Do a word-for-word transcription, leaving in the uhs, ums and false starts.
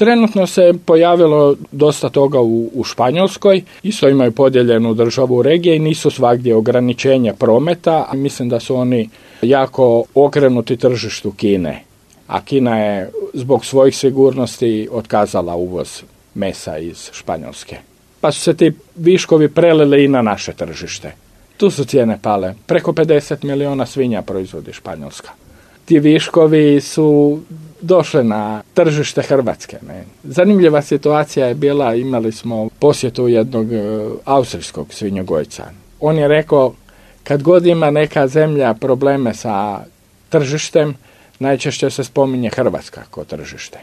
Trenutno se pojavilo dosta toga u, u Španjolskoj, isto imaju podijeljenu državu u regije i nisu svagdje ograničenja prometa. Mislim da su oni jako okrenuti tržištu Kine, a Kina je zbog svojih sigurnosti otkazala uvoz mesa iz Španjolske. Pa su se ti viškovi prelili i na naše tržište. Tu su cijene pale. Preko pedeset milijuna svinja proizvodi Španjolska. Ti viškovi su došli na tržište Hrvatske. Ne. Zanimljiva situacija je bila, imali smo posjetu jednog e, austrijskog svinjogojca. On je rekao, kad god ima neka zemlja probleme sa tržištem, najčešće se spominje Hrvatska kao tržište.